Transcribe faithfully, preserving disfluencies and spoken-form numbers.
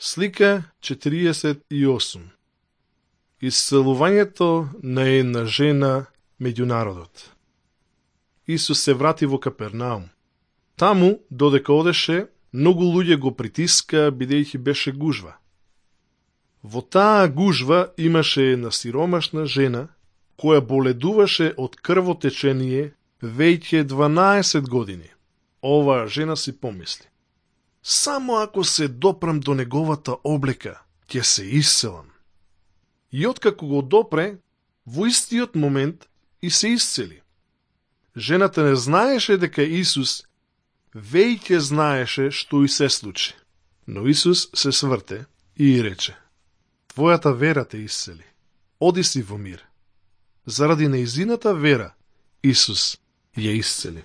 Слика четириесет и осум. Исцелувањето на една жена меѓу народот. Исус се врати во Капернаум. Таму, додека одеше, многу луѓе го притиска, бидејќи беше гужва. Во таа гужва имаше една сиромашна жена, која боледуваше од крвотечение веќе дванаесет години. Оваа жена си помисли: само ако се допрам до неговата облека, ќе се исцелам. И откако го допре, во истиот момент и се исцели. Жената не знаеше дека Исус веќе знаеше што и се случи. Но Исус се сврте и рече: твојата вера те исцели. Оди си во мир. Заради нејзината вера, Исус ја исцели.